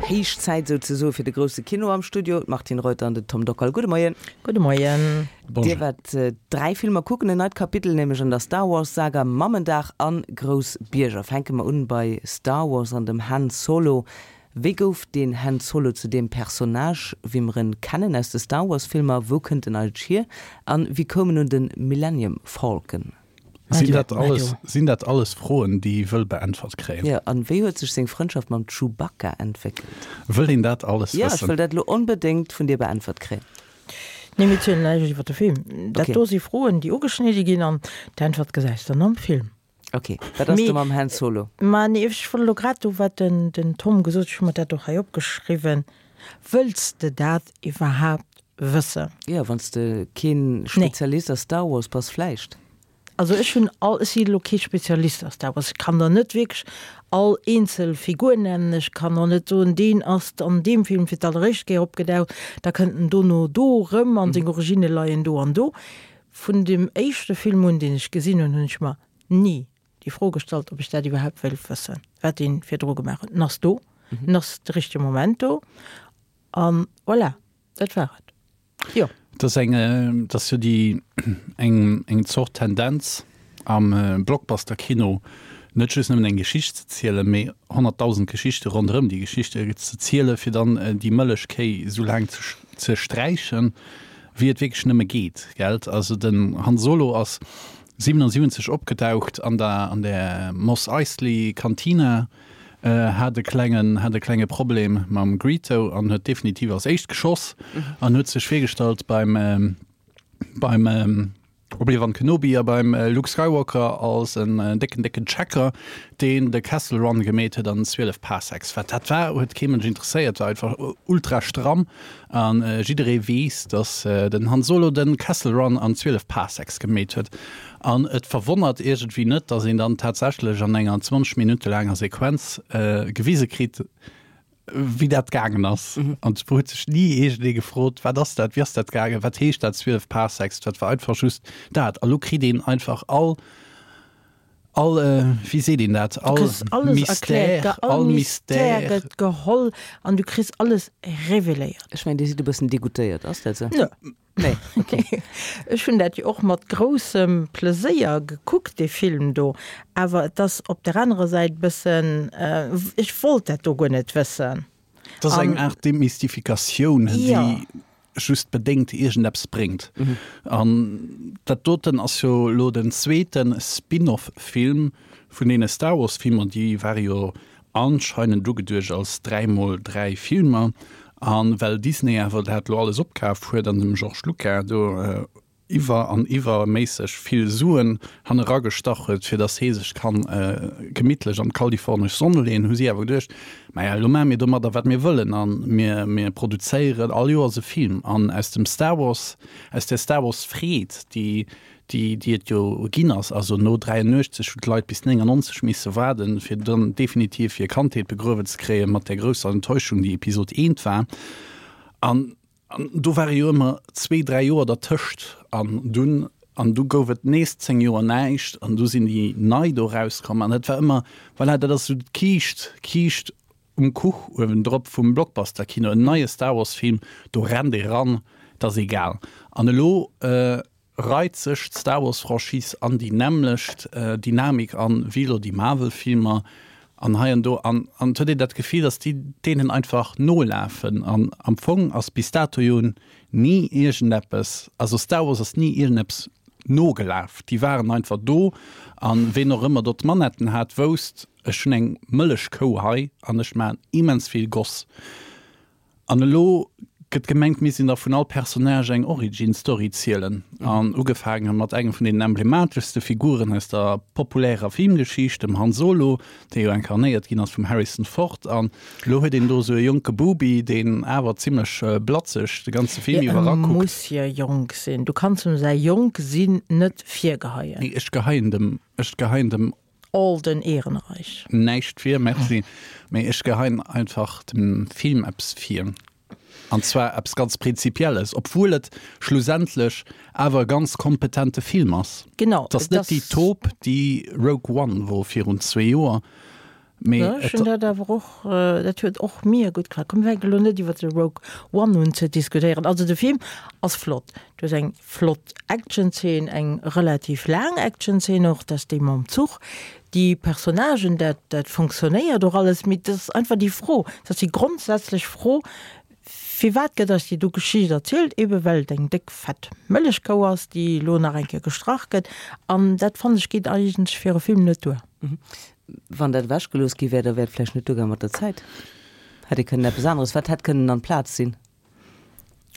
Héich Zäit souzesoe fir de grousse Kino am Studio. D'Martine Reuter an den Tom Dockal. Gudde Moien. Gudde Moien. Dir waart 3 Filmer kucken, en neit Kapitel nämlech an der Star Wars Saga, Mammendag an Grouss Bierger. Fänke mer un bei Star Wars an dem Han Solo. Wéi gouf deen Han Solo zu deem Personnage, wéi mer en kennen aus de Star Wars Filmer? Wou kënnt en eigentlech hier? An wéi koum en un den Millennium Falcon? Sinn dat alles, sinn dat alles Froen, déi ee wëll beäntwert kréien? Jo, an wéi huet sech seng Frëndschaft mam Chewbacca entwéckelt? Wëll een dat alles wëssen? Jo, ech wëll dat elo onbedéngt vun dir beäntwert kréien. Nee, mir zielen näischt iwwer de Film. Dat do si Froen, déi ugeschnidde ginn an d'Äntwert gesäis dann am Film. Ok, wat ass do mam Han Solo? Ma nee, ech wollt elo grad do, wat den, den Tom gesot huet, ech hu mer dat och hei opgeschriwwen, Wëlls de dat iwwerhaapt wëssen? Jo, wann s de keen Spezialist a Star Wars bass, vläicht. Also ech hunn all, ech si elo kee Spezialist a Star Wars, ech kann der net wierklech all eenzel Figur nennen, ech kann och net soen, deen ass an deem Film fir d'alleréischt Kéier opgedaucht, da kënnt en dono do erëm an seng Originne leien do an do. Vun dem éischte Film un, deen ech gesinn hunn, hunn ech mer ni déi Fro gestallt, ob ech dat iwwerhaapt wéilt wëssen, wat dee virdru gemaach huet. En ass do, en ass de richtege Moment do a voilà, dat war et. Jo. Et ass eng, et ass jo déi eng, eng Zort Tendenz am Blockbuster-Kino, net just nëmmen eng Geschicht ze zielen, mee 100.000 Geschichte ronderëm déi Geschichte ze zielen, fir dann déi Mëllechkéi esou laang ze ze sträichen. Wéi et wierklech nëmme geet, gelt? Also den Han Solo ass 77 opgedaucht an der an der Mos Eisley Cantina, hat e klengen hat e klenge Problem mam Greedo an huet definitiv als éischt geschoss an huet sech virgestallt beim beim Obi-Wan Kenobi a beim Luke Skywalker als en décken, décken Checker, deen de Kessel Run gemeet huet an 12 Parsecs. Wat dat war, huet kee Mënsch interesséiert, war einfach ultra stramm a jidderee weess, dass den Han Solo de Kessel Run an 12 Parsecs gemeet huet. An et verwonnert iergendwéi net, dass een dann tatsächlech an enger 20 Minutte laanger Sequenz gewise kritt, wéi dat gaangen ass. An et huet sech ni iergendee gefrot, wat ass dat, wéi ass dat gaangen, wat heescht dat 12 Parsecs? Dat war einfach just dat. A lo kritt een einfach all, all, wéi seet een dat, all Mystère, all Mystère gëtt geholl an du kriss alles reveléiert. Ech mengen, Dir sidd e bëssen degoûtéiert, ass dat esou? Nö. Nee, okay. Ech hunn dat jo och mat groussem Pleséier gekuckt, dee Film do. Awer et ass op der anerer Säit bëssen, ech wollt dat do guer net wëssen. Et ass eng Aart Demystifikatioun, déi just bedéngt iergendeppes bréngt. An dat doten ass jo elo den zweete Spin-off-Film vun deene Star Wars-Filmer, déi ware jo anscheinend ugeduecht als 3 mol 3 Filmer, a well Disney awer dat lo alles opkaf huet an dem George Lucas do iwwer an iwwerméisseg vill Suen hanneragestach huet, fir datt hee sech kann gemittlech an d'kalifornesch Sonn leeën, hu si awer geduecht, Maja, elo maache mir domadder wat mir wëllen a mir mir produzéieren all Joers e Film. An aus dem Star Wars, aus där Star Wars Freed, déi déi déi et jo ginn ass, also no 83 hunn d'Leit bis 99 misse waarden, fir dann definitiv hir Kandheet begruewen ze kréien, mat där grousser Enttäuschung, déi Episod I war. An an do ware jo ëmmer zwee, dräi Joer dertëscht an dunn an du gouf et nees 10 Joer näischt an du sinn déi nei do erauskomm an dat war ëmmer, voilà, dat ass esou d'Kiischt, d'Kiischt um Kuch uewendrop vum Blockbuster-Kino, en neie Star Wars-Film, do rennt ee ran, 't ass egal. An elo reit sech d'Star Wars Franchise an déi nämmlecht Dynamik an wéi elo déi Marvel Filmer an hei an do an an et huet een dat Gefill dass déi deenen einfach nolafen an am Fong ass bis dato jo ni iergendeppes, also Star Wars ass ni iergendeppes nogelaf, déi waren einfach do an ween och ëmmer do d'Manetten hat wousst ech hunn eng Mëllechkou hei an ech maachen immens vill Goss. An elo gëtt gemengt, misst een da vun all Personnage eng Origin Story zielen. An ugefaange mat engem vun den emblemateschste Figuren aus der populärer Filmgeschicht, dem Han Solo, dee jo inkarnéiert ginn ass vum Harrison Ford. An elo huet een do esou e jonke Bubi, deen awer zimmlech blatzeg de ganze Film iwwer erakuckt. E muss jo jonk sinn. Du kanns em säi jonk sinn net virgeheien. Nee, ech geheien dem, ech geheien dem Alden Ehrenreich. Näischt vir, merci. Mee ech geheien einfach dem Film eppes vir. An zwar eppes ganz Prinzipielles, obwuel et schlussendlech awer e ganz kompetente Film ass. Genau. Et ass net déi Taupe, déi Rogue One wor virun zwee Joer. Mee Ja, ech hunn dat awer och, dat huet och mir gutt gefall. Komm mir fänken elo net iwwer de Rogue One un ze diskutéieren. Also de Film ass flott. Du hues eng flott Actionzeen, eng relativ laang Actionzeen och, dat ass déi mam Zuch. Déi Personnagen, dat dat fonctionnéiert och alles, mee dat ass einfach déi Fro, dat ass déi grondsätzlech Fro, Firwat gëtt eis déi do Geschicht erzielt? Ebe well et eng déck fett Mëllechkou ass, déi elo nach eng Kéier gestrach gëtt. An dat fannen ech geet eigentlech fir e Film net duer. Wann dat ewechgelooss gi wär, da wär et vläicht net duergaang mat der Zäit. Hätt ee kënnen eppes aneres, wat hätt kënnen an d'Plaz sinn?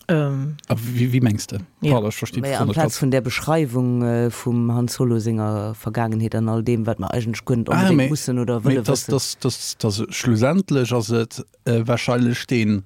A wéi mengs de? Pardon, ech verstinn d'Fro net ganz. Amplaz vun där Beschreiwung vum Han Solo senger Vergaangenheet an all deem, wat mer eigentlech guer net onbedéngt mussen oder wëlle wëssen. Mee schlussendlech ass et wahrscheinlech dee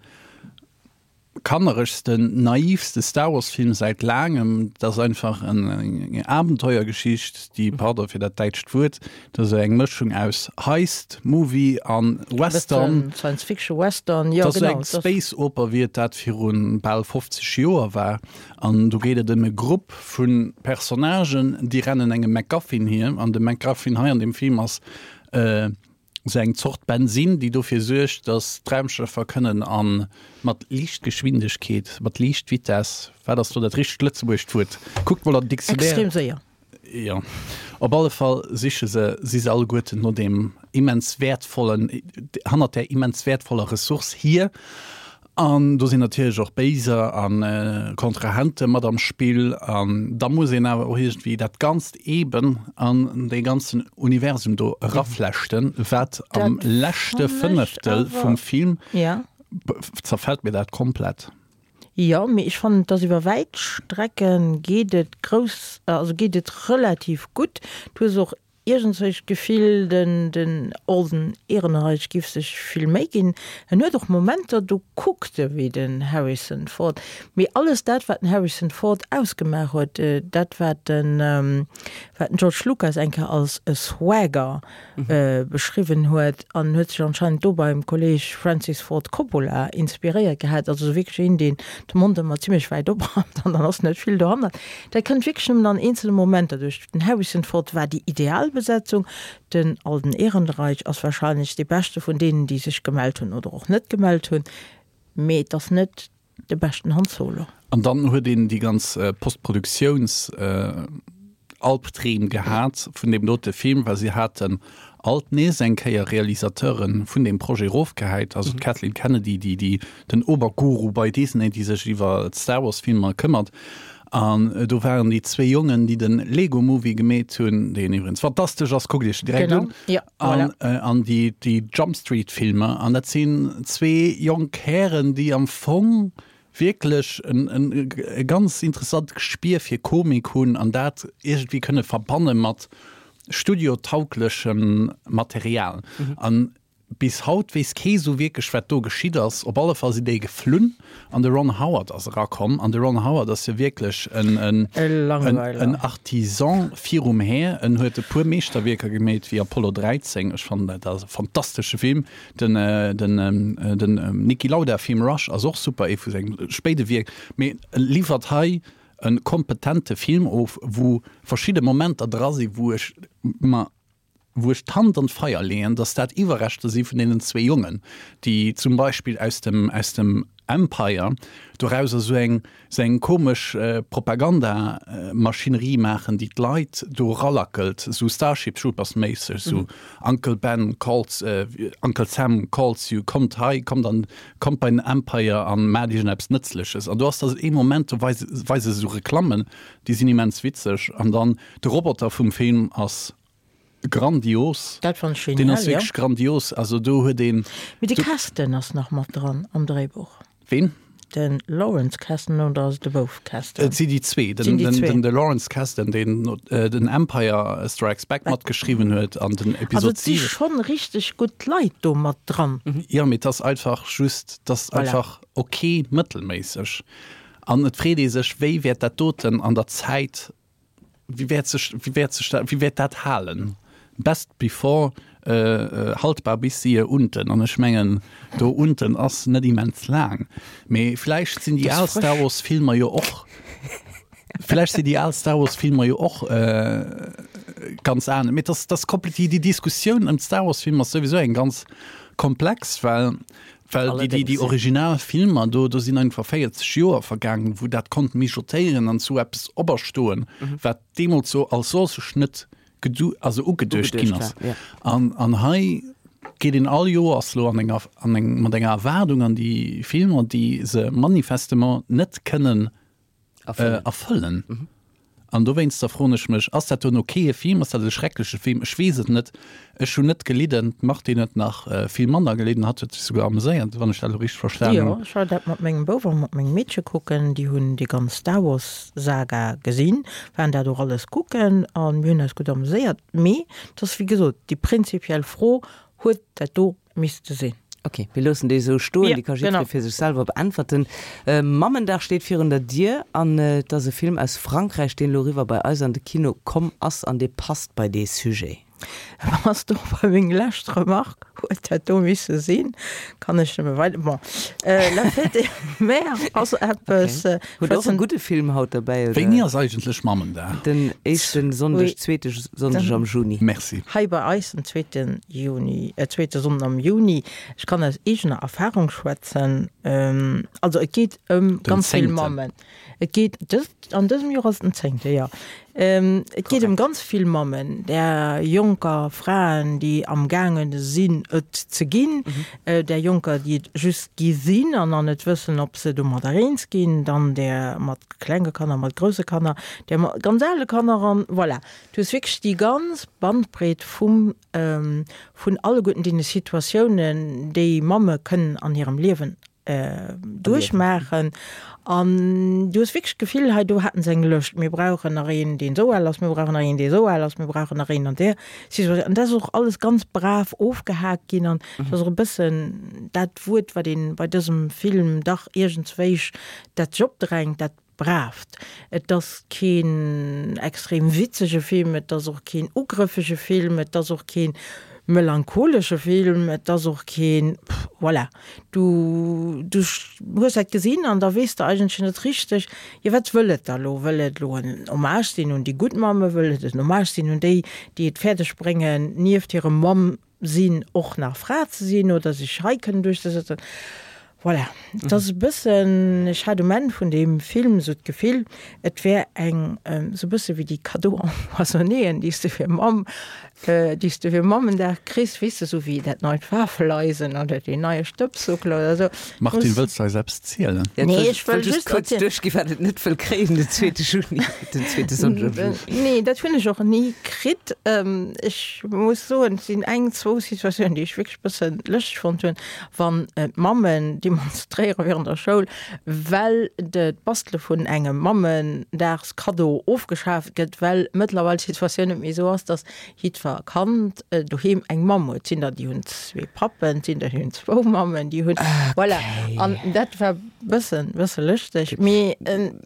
kanneregsten, naivste Star Wars Film säit laangem. Dat ass einfach eng Abenteuergeschicht, déi, pardon fir dat däitscht Wuert, dat ass eng Mëschung aus Heist Movie an Western. Science Fiction Western, jo genau. Dat ass eng Space Oper wéi et dat viru bal 50 Joer war. An do geet et ëm e Grupp vu Personnagen, déi rennen engem MacGuffin hier. An de MacGuffin hei an deem Film ass Esou eng Zort Bensin, déi dofir suergt, datt d'Raumschëffer kënnen a mat Liichtgeschwindegkeet, mat Liichtvitess, wat ass do dat richtegt lëtzebuergescht Wuert? Kuckt mol an den Dictionnaire. Extrem séier. Jo, op alle Fall siche se, si se alleguerten no deem immens wäertvollen, hannert där immens wäertvoller Ressource hier. An do sinn natierlech och Béiser a Kontrahente mat am Spill. An da muss een awer och iergendwéi dat Ganzt eeben an dee ganzen Universum do eraflechten, wat am leschte Fënneftel vum Film zerfält mir dat komplett. Jo, mee ech fannen, dass iwwer wäit Strecke geet et grouss, also geet et relativ gutt. Du hues och Iergendswéi d'Gefill, den den Alden Ehrenreich giff sech vill Méi ginn. En huet och Momenter, do kuckt e wéi den Harrison Ford. Mee alles dat, wat den Harrison Ford ausgemaach huet, dat wat den wat den George Lucas eng Kéier als e Swagger beschriwwen huet, an huet sech anscheinend do beim Kolleg Francis Ford Coppola inspiréiert gehat, also esou wierklech een, deen de Mond ëmmer zimmlech wäit opmat an dann ass net vill dohannert. Dat kënnt wierklech nëmmen an eenzele Momenter duerch. Den Harrison Ford war déi ideal Besetzung, den Alden Ehrenreich ass warscheinlech dee beschte vun deenen, déi sech gemellt hunn oder och net gemellt hunn, mee et ass net de beschten Han Solo. An dann huet een déi ganz Postproduktiouns Albdreem gehat vun deem dote Film, well si haten alt nees eng Kéier Realisateure vun deem Projet erofgehäit, also d'Kathleen Kennedy, déi déi den Oberguru bei Disney, déi sech iwwer d'Star Wars Filmer këmmert. An do waren déi zwéi Jongen, déi den Lego Movie gemeet hunn, deen iwwregens fantastesch ass, kuckt iech direkt un, an, an déi déi Jump Street Filmer. An dat sinn zwee jonk Hären, déi am Fong wierklech en en e ganz interessant Gespier fir Komik hunn an dat iergendwéi kënne verbanne mat studiotauglechem Material. An Bis haut weess kee sou wierklech, wat do geschitt ass. Op alle Fall sinn déi geflunn an de Ron Howard ass erakomm. An de Ron Howard ass jo wierklech en en Artisan virum Här. En huet e puer Meeschterwierker gemeet, wéi Apollo 13. Ech fannen dat ass e fantastesche Film. Den den den Niki Lauda Film Rush ass och super, ee vu senge spéide Wierk. Mee e liwwert hei e kompetente Film of, wou verschidde Momenter dra sinn, wou ech mer wou ech d'Hand an d'Feier leeën, datt dat Iwwerreschter si vun deenen zwee Jongen, déi zum Beispill aus dem, aus dem Empire dorauser esou eng, esou eng komesch Propagandamaschinerie maachen, déi d'Leit do eralackelt, esou Starship Troopers-méisseg, esou Uncle Ben calls, Uncle Sam calls you, kommt hei, kommt an, kommt bei den Empire a maacht iergendeppes Nëtzleches. An do ass da ee Moment, do weise, weise se esou Reklammen, déi sinn immens witzeg. An dann de Roboter vum Film ass grandios. Dat fand ech genial, jo. Deen ass wierklech grandios. Also do huet een. Mee de Kasdan ass nach mat dran am Dréibuch. Ween? De Lawrence Kasdan oder ass et de Bouf Kasdan? Et si déi zwee. Den, den, den, de Lawrence Kasdan, deen den Empire Strikes Back matgeschriwwen huet an den Episod 7. Also et si schonn richteg gutt Leit do mat dran. Jo, mee et ass einfach just, et ass einfach ok mëttelméisseg. An et freet ee sech, wéi wäert dat doten an der Zäit Wéi wäert sech, wéi wäert sech dat, wéi wäert dat halen? Best before, haltbar bis siehe unten. An ech mengen, do unten ass net immens laang. Mee vläicht sinn déi al Star Wars Filmer jo och. Vläicht sinn déi al Star Wars Filmer jo och ganz anescht. Mee dass dass komplett déi déi Diskussioun ëm d'Star Wars Filmer ass souwisou eng ganz komplex, well well déi déi déi original Filmer do do sinn einfach 40 Joer vergaangen, wou dat konnt mijotéieren an zu eppes operstoen, wat deemools sou als solches net gedu also ugeduecht ginn ass. An an hei geet een all Joers lo an enger an eng mat enger Erwaardung an déi Filmer, déi se manifestement net kënnen erfëllen. An dowéinster froen ech mech, ass dat dono kee Film, ass dat e schreckleche Film? Ech weess et net. Ech hunn net gelidden, d'Martine huet nach vill manner gelidden, hatt huet sech souguer ameséiert, wann ech dat elo richteg verstan hunn. Jo, ech war dat mat mengem Bouf a mat mengem Meedche kucken. Déi hunn déi ganz Star Wars Saga gesinn, waren dat och alles kucken a mir hunn eis gutt ameséiert. Mee et ass wéi gesot déi prinzipiell Fro, Huet dat do misste sinn? Ok, mir loossen déi esou stoen, déi ka jiddweree fir sech selwer beäntwerten. Mammendag steet virun der Dier an et ass e Film aus Frankräich, deen elo eriwwer bei eis an de Kino komm ass an dee passt bei dee Sujet. Ass do bei meng lescht Remarque, huet dat do misse sinn? Kann ech nëmme weider, bon, La fête des mères ass eppes. Hutt och e gudde Film haut derbäi, oder? Wéini ass eigentlech Mammendag? Den éischte Sonndeg, zweete Sonndeg am Juni. Merci. Hei bei eis den zweete Juni, zweete Sonnden am Juni. Ech kann aus eegener Erfahrung schwätzen. Also et geet ëm ganz vill Mammen. Et geet dëst, an dësem Joer ass et den zéngte, jo. Et geet ëm ganz vill Mammen, där jonker Fraen, déi amgaange sinn et ze ginn, där jonker, déi et just gi sinn an nach net wëssen, ob se domadder eens ginn, dann där mat klenge Kanner, mat grousse Kanner, där mat ganz ale Kanner an voilà. Du hues wierklech déi ganz Bandbreet vum, vun alleguerten deene Situatiounen, déi Mamme kënnen an hirem Liewen duerchmaachen an du hues wierklech d'Gefill, hei do haten se eng Lëscht, mir brauchen nach een, deen esou al ass, mir brauchen nach een, dee esou al ass, mir brauchen nach een an där Situatioun. An dat ass och alles ganz brav ofgehaakt ginn an dat ass och e bëssen dat Wuert, wat ee bei dësem Film dach iergendswéich, dat sech opdrängt, dat Braaft. Et ass keen extrem witzege Film, et ass och keen ugrëffege Film, et ass och keen melancholesche Film, et ass och keen, voilà, du du hues dat gesinn an da weess de eigentlech net richteg, jo wat wëll et da lo? Wëll et lo en Hommage sinn un déi gutt Mamme, wëll et en Hommage sinn un déi, déi et fäerdeg bréngen, nieft hirem Mamm sinn, och nach Fra ze sinn oder sech hei kënnen duerchzesetzen. Voilà, et ass e bëssen, ech hat um Enn vun deem Film esou d'Gefill, et wär eng, esou e bësse wéi déi Cadeaux empoisonnéen, déi s de fir Mamm, déi s de fir Mammendag kriss, weess de, esou wéi dat neit Wafeleisen oder deen neie Stëbssuckel oder esou. Martine, wëlls de eis eppes zielen? Nee, ech wëll just kuerz duerchginn, wat et net wëll kréien den zweete Juni, den zweete Sonndeg am Juni. Nee, dat hunn ech och ni kritt. Ech muss soen, et sinn eng, zwou Situatiounen, déi ech wierklech e bësse lëschteg fonnt hunn. Wann d'Mammen demonstréiere virun der Schoul, well d'Bastele vun engem Mammendagskaddo ofgeschaaft gëtt, well mëttlerweil d'Situatioun net méi esou ass, datt jiddwer Kand doheem eng Mamm huet. Et sinn der, déi hunn zwee Pappen, et sinn der, déi hunn zwou Mammen, déi hunn, voilà. An dat war bëssen, bësse lëschteg, mee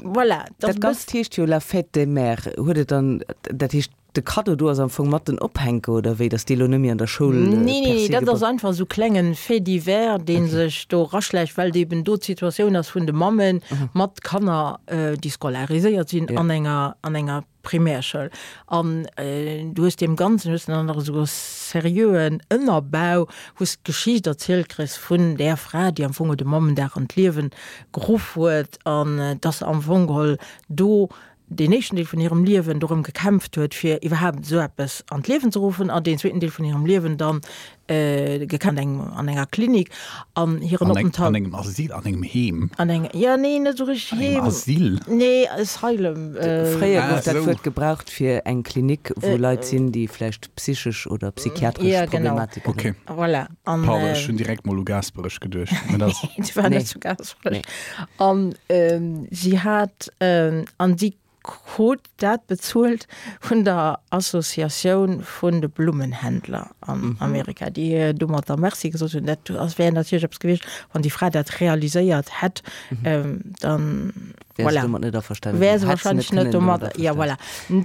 voilà. Dat Ganzt heescht jo La fête des mères. Huet et dann, dat heescht, De Kaddo do ass am Fong mat den Ophänke, oder wéi, dass déi elo net méi an der Schoul Nee, nee, dat ass einfach esou klengen Fait divers, dee sech do eraschläicht, well eben do d'Situatioun ass vun de Mammen mat Kanner, déi scolariséiert sinn an enger, an enger Primärschoul. An du hues deem Ganzen hues de dann nach esou e seriöen Ënnerbau, wou s de d'Geschicht erzielt kriss vun där Fra, déi am Fong de Mammendag an d'Liewen geruff huet an dass am Fong geholl do deen éischten Deel vun hirem Liewen dorëm gekämpft huet, fir iwwerhaapt esou eppes an d'Liewen ze ruffen, an deen zweeten Deel vun hirem Liewen dann gekämpft eng an enger Klinik an hiren Openthalt. An engem Asyl, an engem Heem. An engem, jo, nee, net esou richteg Heem. An engem Asyl? Nee, Asylum. Fréier gouf dat Wuert gebraucht fir eng Klinik, wou Leit sinn, déi vläicht psychesch oder psychiatresch Problematiken hunn. Okay. Voilà. An, Pardon, ech hunn direkt mol u Gaasperech geduecht. Mä dat ass. Si war net zu Gaasperech. An si hat, an si krut dat bezuelt vun der Associatioun vun de Blummenhändler an Amerika, déi hir domatter Merci gesot hunn. Dat ass, wär natierlech eppes gewiescht, wann déi Fra dat realiséiert hätt, dann, Wär se voilà, domat net averstanen wär se hätt se net wahrscheinlech net kënnen domat domat, ja, voilà.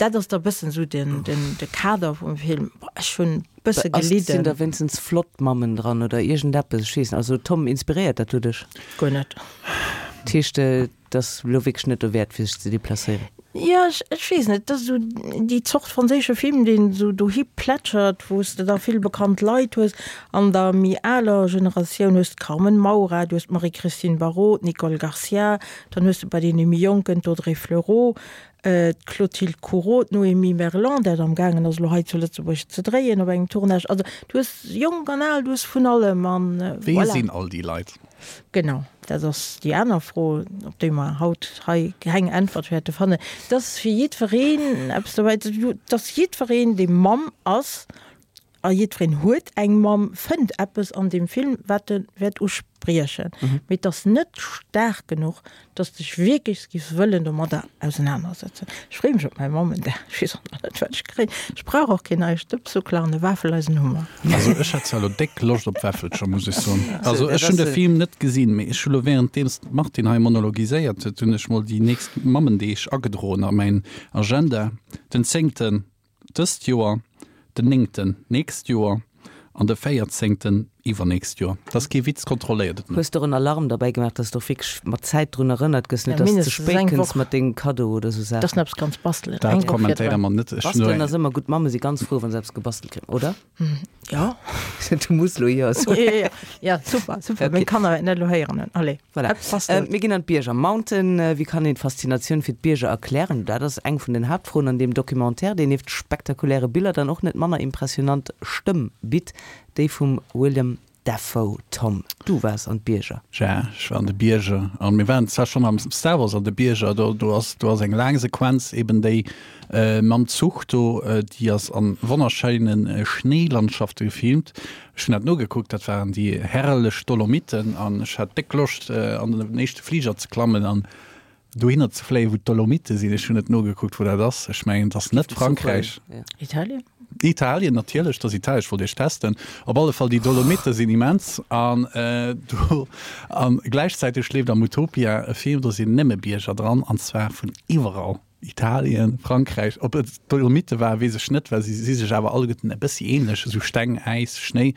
Dat ass da bëssen esou den, den, de Kader vum Film. Boah, ech hunn bësse gelidden. Sinn da wéinstens flott Mammen dran oder iergendeppes? Ech weess net. Also Tom, inspiréiert dat do dech? Guer net. Dat heescht, et ass elo wierklech net dowäert fir sech ze deplacéieren? Jo, ech, ech weess net, et ass esou déi Zort franséische Film, deen esou dohi plätschert, wou s de da vill bekannt Leit hues. An der méi aler Generatioun hues d'Carmen Maura, du hues d'Marie-Christine Barrault, d'Nicole Garcia, dann hues de bei deene méi Jonken d'Audrey Fleurot, d'Clotilde Courau, d'Noémie Merlant, dat am gaangen ass elo hei zu Lëtzebuerg ze dréien op engem Tournage. Also du hues jonk an al, du hues vun allem an Wie voilà. sinn all déi Leit? Genau, dat ass déi aner Fro, op déi mer haut hei keng Äntwert wäerte fannen. Et ass fir jiddwereen eppes dobäi. Et ass jiddwereen, dee Mamm ass, A jiddwereen huet eng Mamm, fënnt eppes an deem Film, wat e wäert uspriechen. Mee et ass net staark genuch, dass de dech wierklech giffs wëllen domadder ausenanersetzen. Ech freeë mech op mäi Mammendag. Ech weess och nach net, wat ech kréien. Ech brauch och keen neie Stëbssuckler an e Wafeleisen hu mer. Also ech hätt zwar elo déck Loscht op Wäffelcher, muss ech soen. Also ech hunn de Film net gesinn, mee ech hu lo währenddeems d'Martine hei monologiséiert huet, hunn ech mol déi nächst Mammendeeg agedroen a mäin Agenda. Den zéngten Dëst Joer, den néngten d'nächst Joer an de véierzéngten iwwernächst Joer. Dat ass kee Witz, kontrolléiert et no. Hues de och en Alarm derbäi gemaach, dass de och wierklech mat Zäit drun erënnert gëss, net dass de ze spéit kënns mat dengem Kaddo oder sou Saachen? Dass en eppes kanns bastelen. Dat kommentéiere mer net. Bastelen ass ëmmer gutt, d'Mamme si ganz frou, wa se eppes gebastelt kréien, oder? Jo. Du muss lo jo soen. Jo, jo, jo, super, super. Meng Kanner wäerten dat elo héieren. Allez, voilà. Mir ginn an d'Bierger. Mountain, wéi kann een d'Faszinatioun fir d'Bierger erklären? Dat ass eng vun den Haaptfroen an deem Documentaire, deen nieft spektakuläre Biller dann och net manner impressionant Stëmm bitt, déi vum Willem Dafoe. Tom, du waars an d'Bierger. Ja, ech war an de Bierger. An mir waren zwar schonn am Star Wars an de Bierger, do, do ass, do ass eng laang Sequenz, eben déi mam Zuch do, déi ass an wonnerschéine Schnéilandschafte gefilmt. Ech hunn dat nogekuckt, dat waren déi herrlech Dolomiten an ech hat déck Loscht an den éischte Fliger ze klammen an dohinner ze fléien, wou d'Dolomite sinn. Ech hunn net nogekuckt, wou dat ass. Ech mengen, et ass net Frankräich. Italien? Italien, natierlech, et ass Italien. Ech wollt Iech testen. Op alle Fall, déi Dolomite sinn immens. An do, a gläichzäiteg leeft am Utopia e Film, do sinn nëmme Bierger dran, an zwar vun iwwerall. Italien, Frankräich, ob et d'Dolomite war, weess ech net, well si si sech awer alleguerten e bëssi ähnlech, esou Steng, Äis, Schnéi.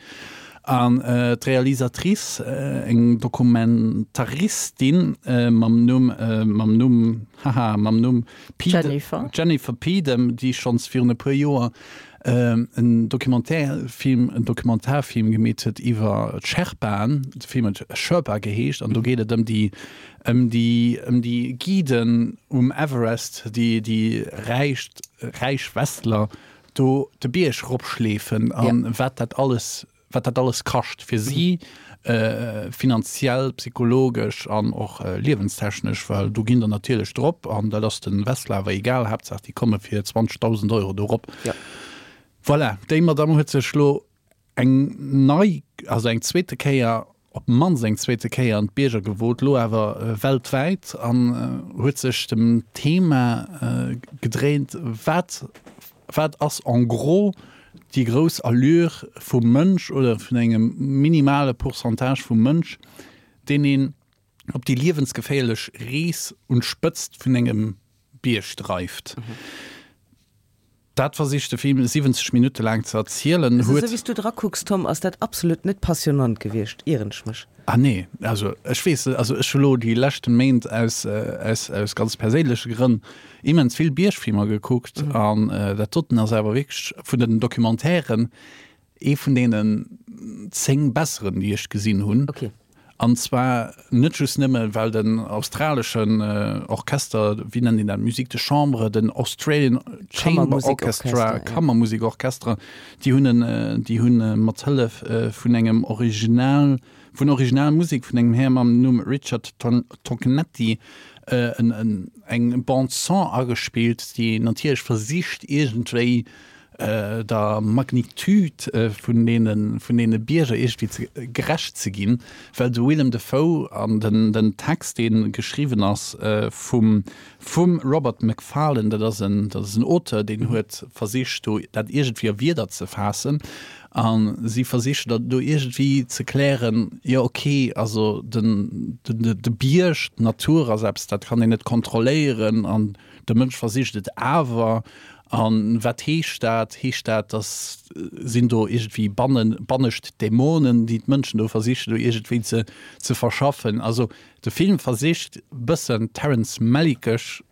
An d'Realisatrice, eng Dokumentaristin mam Numm, mam Numm, haha, mam Numm Jennifer. Jennifer Peedom, déi schonns virun e puer Joer en Documentaire-Film, en Dokumentarfilm gemeet huet iwwer d'Sherpaen, de Film huet Sherpa geheescht, an do geet et ëm déi Ëm déi, ëm déi Guiden um Everest, déi déi räich, räich Westler do de Bierg eropschleefen a wat dat alles, wat dat alles kascht fir si, finanziell, psychologesch an och liewenstechnesch, well do ginn der natierlech drop an dat ass de Westler awer egal, Haaptsaach déi komme fir 20.000 Euro do rop. Voilà, déi Madamm huet sech elo eng nei, also eng zweete Kéier, op d'mannst eng zweete Kéier an d'Bierger gewot, lo awer weltwäit an huet sech dem Thema gedréint, wat, wat ass en gros déi grouss Allure vum Mënsch oder vun engem minimale Pourcentage vum Mënsch, deen een op déi liewensgeféierlech Rees un d'Spëtzt vun engem Bierg dreift. Dat versicht de Film 70 Minutte laang ze erzielen, huet. Esou wéi s du dra kucks, Tom, ass dat absolut net passionnant gewiescht, ieren ech mech? Ah nee, also ech weess net, also ech hu lo déi leschten Méint aus, aus, aus ganz perséinleche Grënn immens vill Biergfilmer gekuckt an dat doten ass awer wierklech vun den Documentairen Ee vun deenen 10 besseren, déi ech gesinn hunn. Okay. An zwar net just nëmme well den australeschen Orchester, wéi nennt een dat, Musique de chambre, den Australian Chamber Orchestra, Kammermusikorchester, déi hunn en, déi hunn mat Hëllef vun engem Original, vun Originalmusek vun engem Här mam Numm Richard Tognetti en, eng Bande son agespillt, déi natierlech versicht iergendwéi der Magnitude vun deene, vun deene Bierger iergendwéi ze, gerecht ze ginn, well de Willem Dafoe an den, den Text, dee geschriwwen ass vum, vum Robert Macfarlane, dat ass en, dat ass en Auteur, deen huet versicht do dat iergendwéi a Wierder ze faassen a si versichen dat do iergendwéi ze klären, jo okay, also den, den, de Bierg, d'Natur ass eppes, dat kann een net kontrolléieren an de Mënsch versicht et awer. A wat heescht dat? Heescht dat, dass sinn do iergendwéi bannen, bannescht Dämonen, déi d'Mënschen do versichen do iergendwéi ze, ze verschaffen? Also de Film versicht bëssen Terrence Malickesch.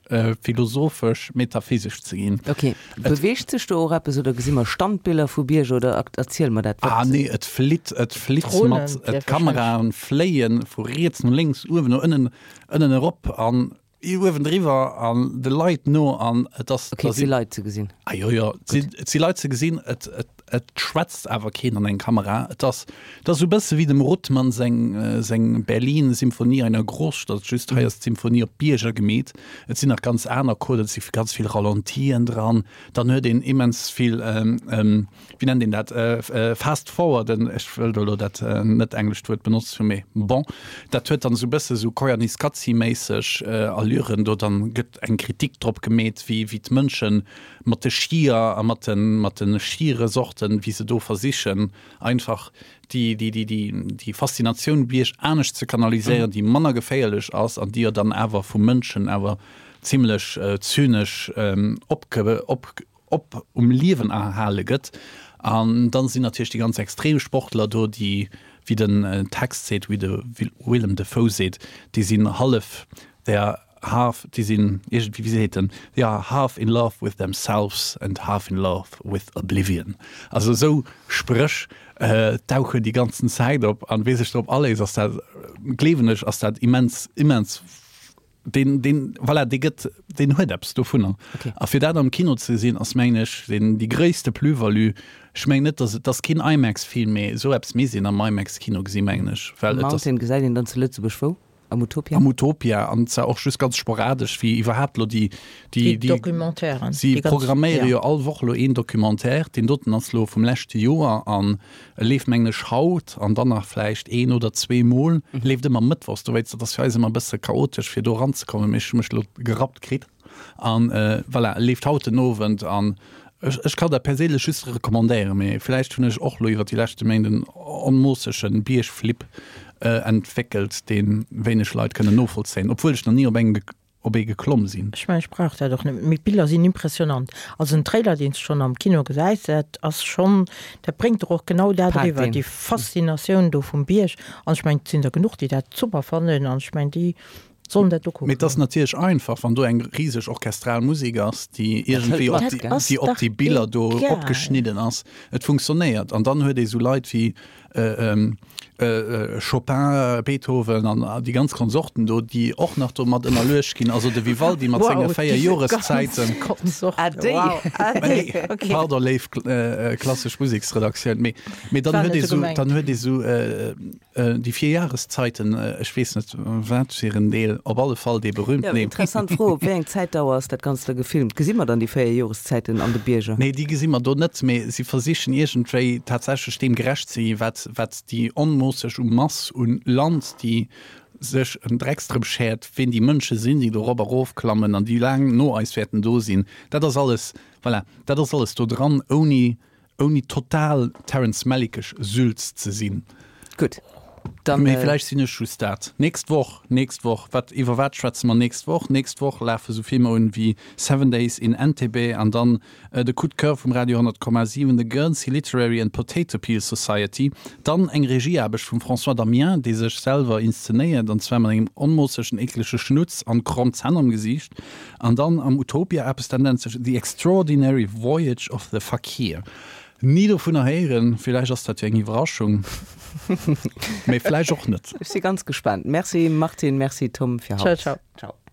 Philosophesch, metaphysesch ze ginn. Ok. Beweegt sech do och eppes oder gesi mer Standbiller vu Bierger oder erziel mer dat, wat. Ah nee, et flitt, et flitt mat, d'Kameraen fléie vu riets no lénks, uewen no ënnen, ënnen erop an uewen driwwer an de Leit no an et ass. Ok, et si Leit ze gesinn. Ah jo, jo, et si Leit ze gesinn, et, et. Et schwätzt awer keen an eng Kamera. Et ass, et ass esou e bësse wéi dem Ruttmann seng, seng Berlin, Symphonie einer Großstadt, just hei ass d'Symphonie op Bierger gemeet. Et sinn nach ganz aner Coden, et si ganz vill Ralentien dran. Dann huet een immens vill, wéi nennt een dat, Fast Forwarden, ech wëll do elo dat net englescht Wuert benotzen, mee bon, dat huet dann esou e bësse sou Koyaanisqatsi-méisseg Allüren do. Dann gëtt eng Kritik drop gemeet, wéi, wéi d'Mënschen mat de Skier a mat de mat de Skiresorten, wéi se do versichen einfach déi déi déi déi déi Faszinatioun Bierg anescht ze kanaliséieren, déi manner geféierlech ass an déi jo dann awer vu Mënschen awer zimlech zynesch opge op op um Liewen erhale gëtt. An dann sinn natierlech déi ganz Extremsportler do, déi, wéi den Text seet, wéi de Willem Dafoe seet, déi sinn hallef der Half, déi sinn iergendwéi, wéi seet en, they are half in love with themselves and half in love with oblivion. Also esou Spréch dauchen déi ganzen Zäit op an wee sech drop aléisst, ass dat, gleewen ech, ass dat immens, immens, deen, deen, voilà, dee gëtt, deen huet eppes dovunner. A fir dat am Kino ze gesinn, ass mengen ech deen, déi gréisste Plus-value. Ech mengen net, dass et, ass keen IMAX-Film, mee esou eppes misst een am IMAX-Kino gesinn, mengen ech, well et ass. Mountain gesäit een dann zu Lëtzebuerg wou? Am Utopia? Am Utopia, an zwar och just ganz sporadesch, wéi iwwerhaapt elo déi, déi, déi Documentairen. Si programméiere jo all Woch elo een Documentaire, deen doten ass elo vum leschte Joer an e leeft mengen ech haut an dann nach vläicht een oder zweemol, leeft ëmmer mëttwochs, dowéinst, dat ass fir eis ëmmer e bësse chaotesch fir do eranzekommen, mee ech hu mech elo gerappt kritt. An voilà, e leeft haut den Owend an ech, ech kann dat perséinlech just recommandéieren, mee vläicht hunn ech och elo iwwer déi leschte Méint en onmoossege Biergflipp entwéckelt, dee wéineg Leit kënnen novollzéien, obwuel ech nach ni op engem, op ee geklomm sinn. Ech mengen, ech brauch dat och net, mee d'Biller sinn impressionant. Also den Trailer, deen s de schonn am Kino gesäis, dat ass schonn, dat bréngt der och genau dat eriwwer, déi Faszinatioun do vum Bierg. An ech mengen, et sinn der genuch, déi dat super fannen an ech mengen, déi Sollen dat ukucken. Mee et ass natierlech einfach, wann do eng riseg orchestral Musek ass, déi iergendwéi op déi, déi op déi Biller do opgeschnidden ass. Et funktionéiert. An dann huet ee sou Leit wéi Chopin, Beethoven an déi ganz Konsorten do, déi och nach do mat ënnerluecht ginn. Also de Vivaldi mat senge 4 Joreszäiten. Pardon, léif klassesch Museksredaktioun. Mee dann huet ee sou, dann huet ee sou Déi 4 Jahreszeiten, ech weess net wat fir en Deel, op alle Fall dee berühmten. Jo, interessant Fro, op wéi eng Zäitdauer ass dat Ganzt da gefilmt? Gesi mer dann déi 4 Joreszäiten an de Bierger? Nee, déi gesi mer do net, mee si versichen iergendwéi tatsächlech deem gerecht ze ginn, wat, wat déi onmoosseg u Mass un Land, déi sech en Drecks drëm schäert, ween déi Mënsche sinn, déi do rop a rof klammen an déi laang no eis wäerten do sinn. Dat ass alles, voilà, dat ass alles do dran, ouni Ouni total Terrence Malickesch Sülz ze sinn. Gutt, dann. Mee vläicht sinn ech just dat. Nächst Woch, nächst Woch, wat, iwwer wat schwätze mer nächst Woch? Nächst Woch lafe sou Filmer un wéi Seven Days in Entebbe an dann de Coup de Coeur vum Radio 100,7, The Guernsey Literary and Potato Peel Society. Dann eng Regieaarbecht vum François Damiens, dee sech selwer inszenéiert, an zwar mat engem onmoossegen eklege Schnutz an kromm Zänn am Gesiicht. An dann am Utopia eppes, dat nennt sech The Extraordinary Voyage of the Fakir. Ni dovunner héieren, villäicht ass dat jo eng Iwwerraschung, mee vläicht och net. Ech si ganz gespaant. Merci Martine, merci Tom fir haut. Ciao, ciao. Ciao.